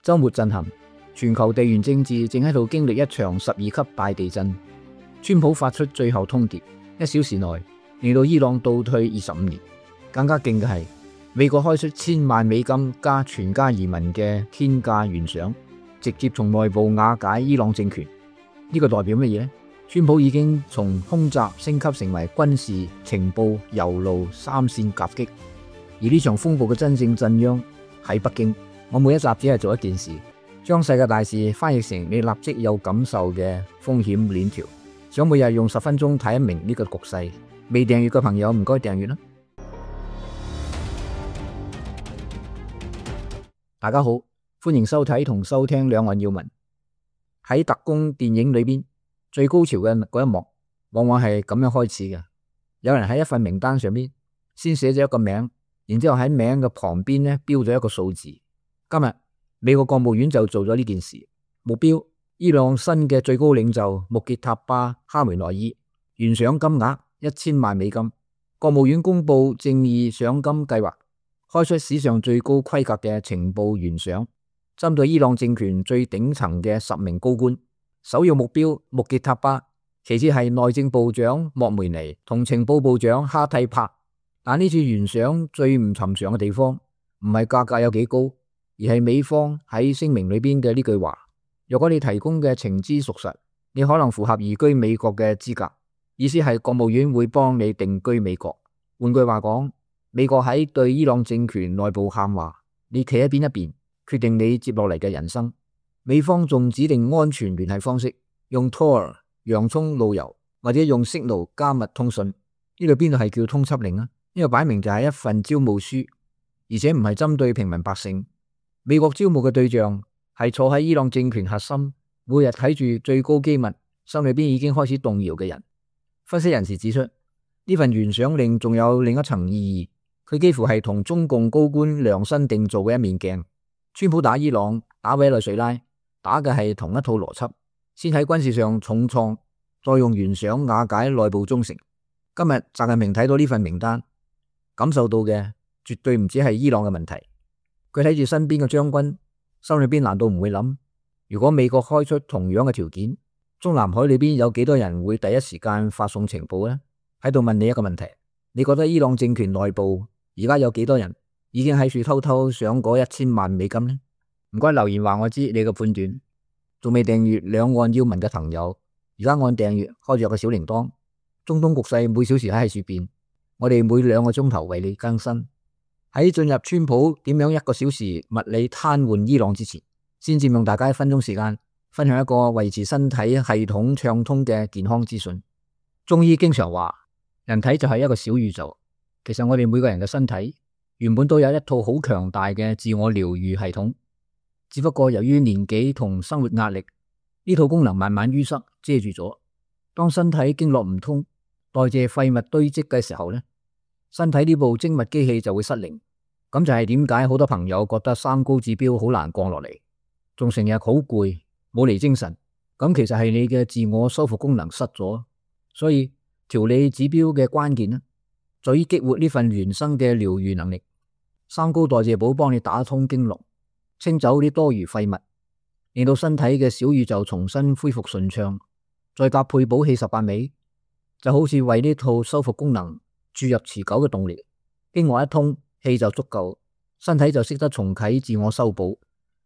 週末震撼，全球地緣政治正喺度經歷一場12級大地震。川普發出最後通牒，1小時內令到伊朗倒退25年。更加勁嘅係，美國開出1000萬美金加全家移民嘅天價懸賞，直接從內部瓦解伊朗政權。呢個代表乜嘢呢？川普已經從空襲升級成為軍事、情報、郵路3線夾擊，而呢場風暴嘅真正震央喺北京。我每一集只係做一件事，將世界大事翻譯成你立即有感受嘅風險鏈條，想每日用10分鐘睇明呢個局勢。未訂閱嘅朋友唔該訂閱啦。大家好，歡迎收睇同收聽兩岸要聞。喺特工電影裏邊，最高潮嘅嗰一幕往往係咁樣開始嘅。有人喺一份名單上邊先寫咗一個名，然之後喺名嘅旁邊呢標咗一個數字。今日美國國務院就做咗呢件事，目標伊朗新嘅最高領袖穆傑塔巴哈梅內伊，懸賞金額1000萬美金。國務院公布正義賞金計劃，開出史上最高規格嘅情報懸賞，針對伊朗政權最頂層嘅10名高官，首要目標穆傑塔巴，其次係內政部長莫梅尼同情報部長哈蒂帕。但呢次懸賞最唔尋常嘅地方，唔係價格有幾高，而係美方喺聲明裏邊嘅呢句話：若果你提供嘅情資屬實，你可能符合移居美國嘅資格。意思係國務院會幫你定居美國。換句話講，美國喺對伊朗政權內部喊話，你企喺邊一邊，決定你接落嚟嘅人生。美方仲指定安全聯繫方式，用 Tor、洋蔥路由或者用 Signal 加密通訊。呢度邊度係叫通緝令啊？呢個擺明就係一份招募書，而且唔係針對平民百姓。美國招募嘅對象係坐喺伊朗政權核心，每日睇住最高機密，心裏邊已經開始動搖嘅人。分析人士指出，呢份懸賞令仲有另一層意義，佢幾乎係同中共高官量身定做嘅一面鏡。川普打伊朗、打委內瑞拉，打嘅係同一套邏輯，先喺軍事上重創，再用懸賞瓦解內部忠誠。今日習近平睇到呢份名單，感受到嘅絕對唔止係伊朗嘅問題。佢睇住身邊嘅將軍，心裏邊難道唔會諗，如果美國開出同樣嘅條件，中南海裏邊有幾多人會第一時間發送情報呢？喺度問你一個問題，你覺得伊朗政權內部而家有幾多人已經喺處偷偷賞嗰1000萬美金呢？唔該留言話我知你嘅判斷。仲未訂閱兩岸要聞嘅朋友，而家按訂閱，開住個小鈴鐺。中東局勢每小時喺處變，我哋每2個鐘頭為你更新。喺進入川普點樣1個小時物理癱瘓伊朗之前，先佔用大家1分鐘時間，分享一個維持身體系統暢通嘅健康資訊。中醫經常話，人體就係一個小宇宙。其實我哋每個人嘅身體原本都有一套好強大嘅自我療愈系統，只不過由於年紀同生活壓力，呢套功能慢慢淤塞遮住咗。當身體經絡唔通，代謝廢物堆積嘅時候呢，身體呢部精密機器就會失靈。咁就係點解好多朋友覺得3高指標好難降落嚟，仲成日好攰，冇嚟精神。咁其實係你嘅自我修復功能失咗。所以調理指標嘅關鍵呢，在於激活呢份原生嘅療愈能力。3高代謝寶幫你打通經絡，清走啲多餘廢物，令到身體嘅小宇宙重新恢復順暢。再搭配補氣18味，就好似為呢套修復功能注入持久嘅動力。經絡一通，氣就足夠，身體就識得重啟自我修補，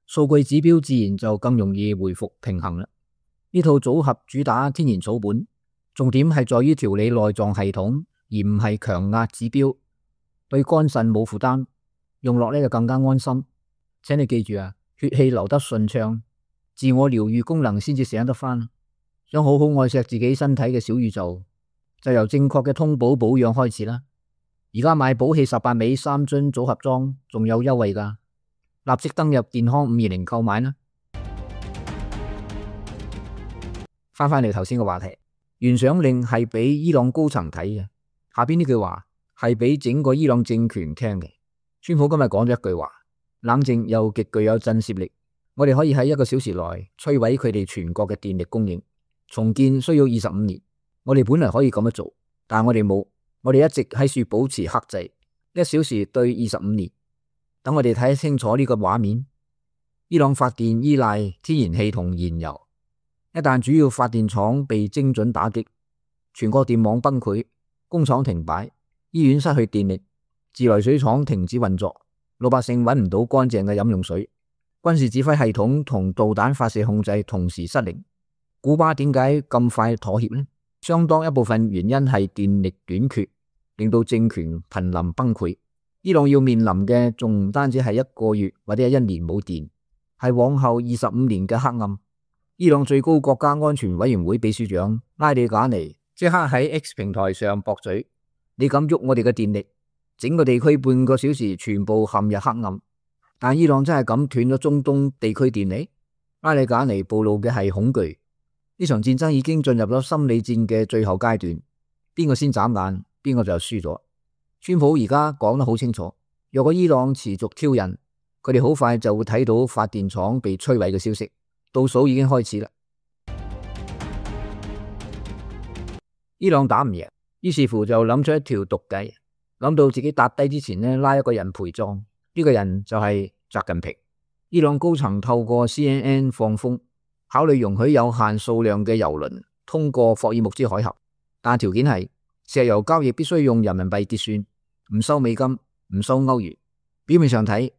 數據指標自然就更容易回復平衡啦。呢套組合主打天然草本，重點係在於調理內臟系統，而唔係強壓指標，對肝腎冇負擔，用落呢就更加安心。請你記住啊，血氣流得順暢，自我療愈功能先至醒得返。想好好愛惜自己身體嘅小宇宙，就由正確嘅通補保養開始啦。而家買補氣18味3樽組合裝仲有優惠㗎，立即登入健康520購買啦。翻嚟頭先嘅話題，懸賞令係俾伊朗高層睇嘅，下邊呢句話係俾整個伊朗政權聽嘅。川普今日講咗一句話，冷靜又極具有震懾力。我哋可以喺1個小時內摧毀佢哋全國嘅電力供應，重建需要25年。我哋本來可以咁樣做，但我哋冇。我哋一直喺處保持克制，1小時對25年。等我哋睇清楚呢個畫面，伊朗發電依賴天然氣同燃油，一旦主要發電廠被精準打擊，全國電網崩潰，工廠停擺，醫院失去電力，自來水廠停止運作，老百姓揾唔到乾淨嘅飲用水，軍事指揮系統同導彈發射控制同時失靈。古巴點解咁快妥協呢？相當一部分原因係電力短缺，令到政權瀕臨崩潰。伊朗要面臨嘅仲唔單止係1個月或者係1年冇電，係往後25年嘅黑暗。伊朗最高國家安全委員會秘書長拉里賈尼即刻喺 X 平台上駁嘴：你敢喐我哋嘅電力，整個地區半個小時全部陷入黑暗。但伊朗真係咁斷咗中東地區電力？拉里賈尼暴露嘅係恐懼。呢場戰爭已經進入咗心理戰嘅最後階段，邊個先眨眼，邊個就輸咗。川普而家講得好清楚，若果伊朗持續挑釁，佢哋好快就會睇到發電廠被摧毀嘅消息，倒數已經開始啦。伊朗打唔贏，於是乎就諗出一條毒計，諗到自己搭低之前呢，拉一個人陪葬，呢個人就係習近平。伊朗高層透過 CNN 放風，考慮容許有限數量嘅油輪通過霍爾木茲海峽，但條件係石油交易必須用人民幣結算，唔收美金，唔收歐元。表面上睇，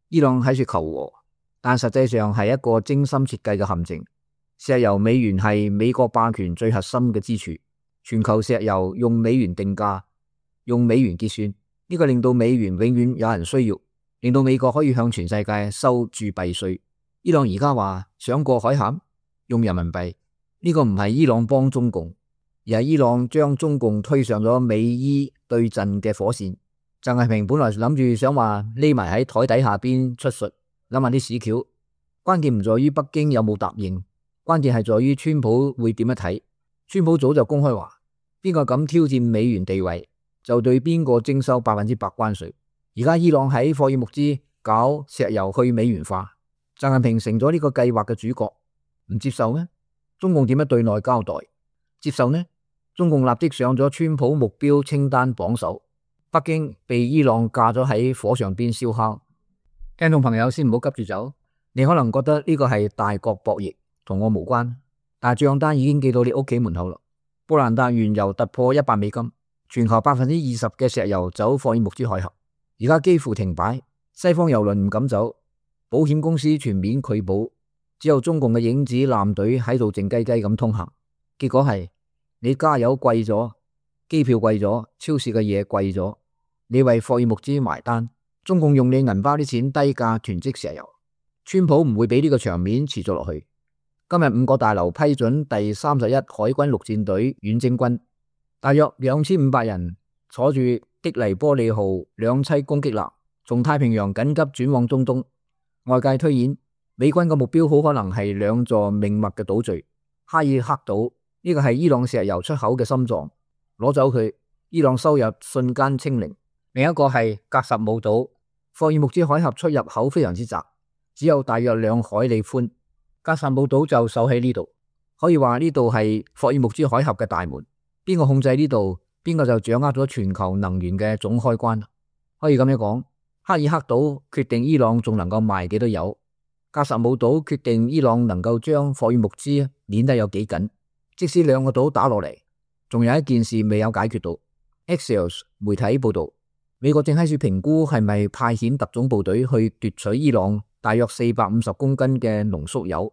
伊朗喺處求和，但實際上係一個精心設計嘅陷阱。石油美元係美國霸權最核心嘅支柱，全球石油用美元定價，用美元結算，呢個令到美元永遠有人需要，令到美國可以向全世界收鑄幣稅。伊朗而家話想過海峽用人民幣，呢個唔係伊朗幫中共，而係伊朗將中共推上咗美伊對陣嘅火線。習近平本來諗住想話匿埋喺台底下邊出術，諗下啲屎橋。關鍵唔在於北京有冇答應，關鍵係在於川普會點樣睇。川普早就公開話，邊個敢挑戰美元地位，就對邊個徵收100%關稅。而家伊朗喺霍爾木茲搞石油去美元化，習近平成咗呢個計劃嘅主角，唔接受咩？中共點樣對內交代？接受呢？中共立即上咗川普目標清單榜首，北京被伊朗架咗喺火上邊燒烤。聽眾朋友先唔好急住走，你可能覺得呢個係大國博弈，同我無關，但係賬單已經寄到你屋企門口啦。布蘭達原油突破$100，全球20%嘅石油走霍爾木茲海峽，而家幾乎停擺，西方油輪唔敢走。保險公司全面拒保，只有中共嘅影子艦隊喺度靜雞雞咁通行。結果係你加油貴咗，機票貴咗，超市嘅嘢貴咗，你為霍爾木茲埋單。中共用你銀包啲錢低價囤積石油。川普唔會俾呢個場面持續落去。今日5個大樓批准第31海軍陸戰隊遠征軍，大約2500人坐住的黎波里號2棲攻擊艦，從太平洋緊急轉往中東。外界推演，美軍嘅目標好可能係2座命脈嘅島嶼，哈爾克島，呢個係伊朗石油出口嘅心臟，攞走佢，伊朗收入瞬間清零。另一個係格什姆島，霍爾木茲海峽出入口非常之窄，只有大約2海里寬，格什姆島就守喺呢度，可以話呢度係霍爾木茲海峽嘅大門，邊個控制呢度，邊個就掌握咗全球能源嘅總開關。可以咁樣講，哈爾克島決定伊朗仲能夠賣幾多油，格什姆島決定伊朗能夠將霍爾木茲捏得有幾緊。即使2個島打落嚟，仲有一件事未有解決到。Axios 媒體報道，美國正喺處評估係咪派遣特種部隊去奪取伊朗大約450公斤嘅濃縮鈾，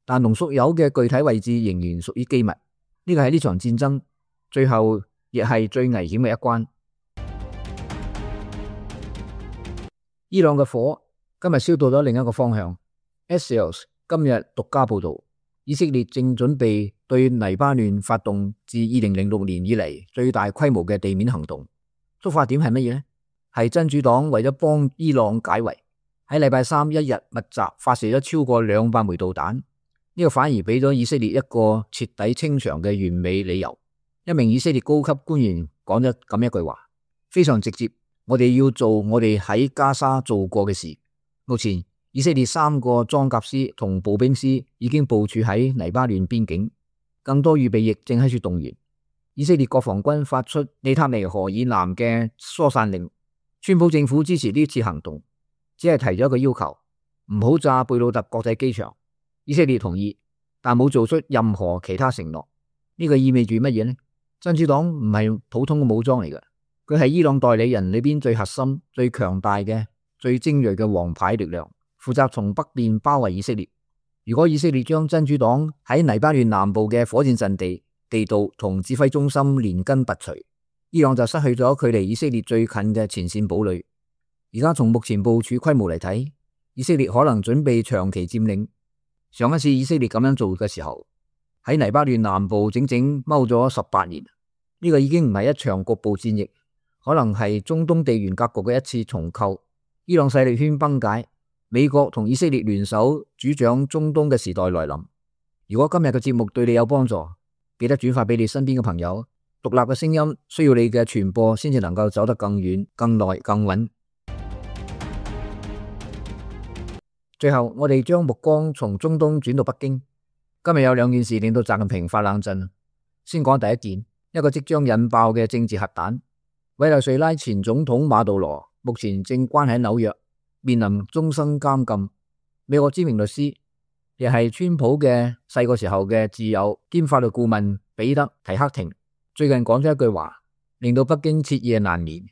但濃縮鈾嘅具體位置仍然屬於機密。呢個係呢場戰爭最後亦係最危險嘅一關。伊朗嘅火今日燒到咗另一個方向。Axios 今日獨家報道，以色列正準備對黎巴嫩發動自2006年以嚟最大規模嘅地面行動。觸發點係乜嘢呢？係真主黨為咗幫伊朗解圍，喺禮拜3一日密集發射咗超過200枚導彈。呢個反而俾咗以色列一個徹底清場嘅完美理由。一名以色列高級官員講咗咁一句話，非常直接。我哋要做我哋喺加沙做過嘅事。目前以色列3個裝甲師同步兵師已經部署喺黎巴嫩邊境，更多預備役正喺處動員。以色列國防軍發出內塔尼河以南嘅疏散令。川普政府支持呢次行動，只係提咗一個要求，唔好炸貝魯特國際機場。以色列同意，但冇做出任何其他承諾。呢個意味住乜嘢呢？真主黨唔係普通嘅武裝嚟嘅，佢係伊朗代理人裏邊最核心、最強大嘅、最精銳嘅王牌力量，負責從北邊包圍以色列。如果以色列將真主黨喺黎巴嫩南部嘅火箭陣地、地道同指揮中心連根拔除，伊朗就失去咗距離以色列最近嘅前線堡壘。而家從目前部署規模嚟睇，以色列可能準備長期佔領。上一次以色列咁樣做嘅時候，喺黎巴嫩南部整整踎咗18年。呢個已經唔係一場局部戰役，可能係中東地緣格局嘅一次重構。伊朗勢力圈崩解，美國同以色列聯手主掌中東嘅時代來臨。如果今日嘅節目對你有幫助，記得轉發俾你身邊嘅朋友。獨立嘅聲音需要你嘅傳播先至能夠走得更遠、更耐、更穩。最後，我哋將目光從中東轉到北京。今日有兩件事令到習近平發冷震。先講第一件，一個即將引爆嘅政治核彈。委內瑞拉前總統馬杜羅目前正關喺紐約，面臨終身監禁。美國知名律師，亦係川普嘅細個時候嘅摯友兼法律顧問彼得提克廷，最近講咗一句話，令到北京徹夜難眠。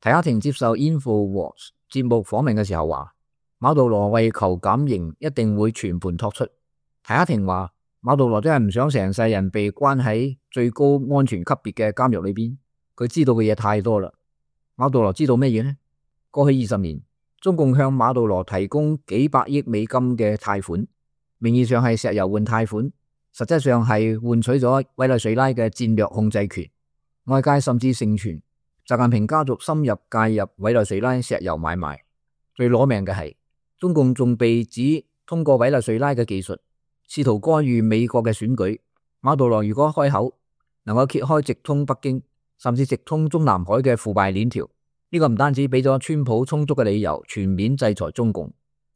提克廷接受 InfoWars 節目訪問嘅時候話，馬杜羅為求減刑，一定會全盤托出。提克廷話，馬杜羅真係唔想成世人被關喺最高安全級別嘅監獄裏邊，佢知道嘅嘢太多啦。馬杜羅知道咩嘢呢？過去20年，中共向馬杜羅提供幾百億美金嘅貸款，名義上係石油換貸款，實際上係換取咗委內瑞拉嘅戰略控制權。外界甚至盛傳習近平家族深入介入委內瑞拉石油買賣。最攞命嘅係，中共仲被指通過委內瑞拉嘅技術，試圖干預美國嘅選舉。馬杜羅如果開口，能夠揭開直通北京，甚至直通中南海嘅腐敗鏈條，呢個唔單止俾咗川普充足嘅理由全面制裁中共，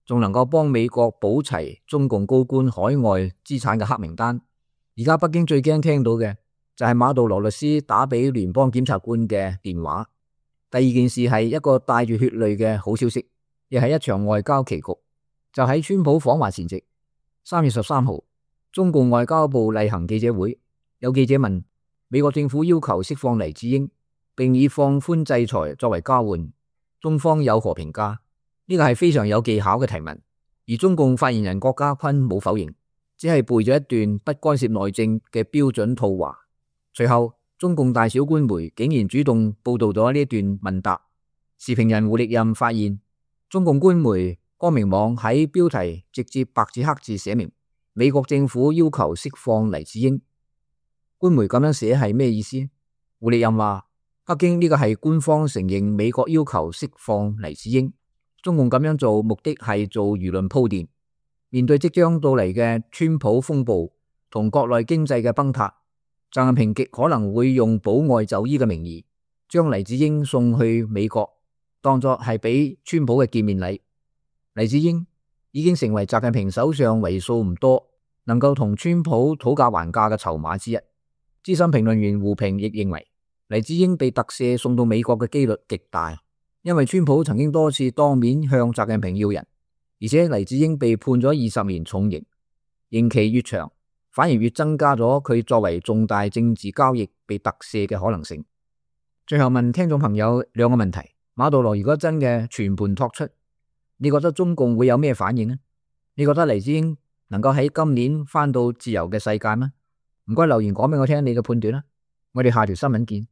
仲能夠幫美國補齊中共高官海外資產嘅黑名單。而家北京最驚聽到嘅就係馬杜羅律師打俾聯邦檢察官嘅電話。第二件事係一個帶住血淚嘅好消息，亦係一場外交棋局。就喺川普訪華前夕，3月13號，中共外交部例行記者會，有記者問美國政府要求釋放黎智英，並以放寬制裁作為交換，中方有何評價？呢個係非常有技巧嘅提問，而中共發言人郭家坤冇否認，只係背咗一段不干涉內政嘅標準套話。隨後，中共大小官媒竟然主動報道咗呢段問答。時評人胡力任發現，中共官媒光明網喺標題直接白紙黑字寫明美國政府要求釋放黎智英。官媒咁樣寫係咩意思？胡力任話，北京呢個係官方承認美國要求釋放黎智英，中共咁樣做目的係做輿論鋪墊。面對即將到嚟嘅川普風暴同國內經濟嘅崩塌，習近平極可能會用保外就醫嘅名義，將黎智英送去美國，當作係俾川普嘅見面禮。黎智英已經成為習近平手上為數唔多能夠同川普討價還價嘅籌碼之一。資深評論員胡平亦認為，黎智英被特赦送到美國嘅幾率極大，因為川普曾經多次當面向習近平要人，而且黎智英被判咗20年重刑，刑期越長，反而越增加咗佢作為重大政治交易被特赦嘅可能性。最後問聽眾朋友兩個問題：馬杜羅如果真嘅全盤托出，你覺得中共會有咩反應呢？你覺得黎智英能夠喺今年返到自由嘅世界嗎？唔該留言講俾我聽你嘅判斷啦。我哋下條新聞見。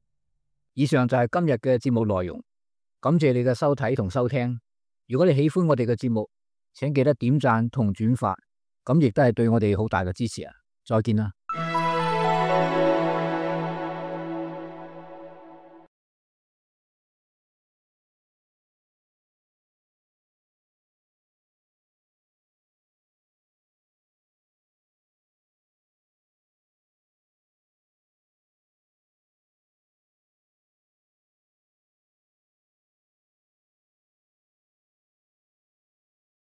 以上就係今日嘅節目內容，感謝你嘅收睇同收聽。如果你喜歡我哋嘅節目，請記得點讚同轉發，咁亦都係對我哋好大嘅支持啊！再見啦。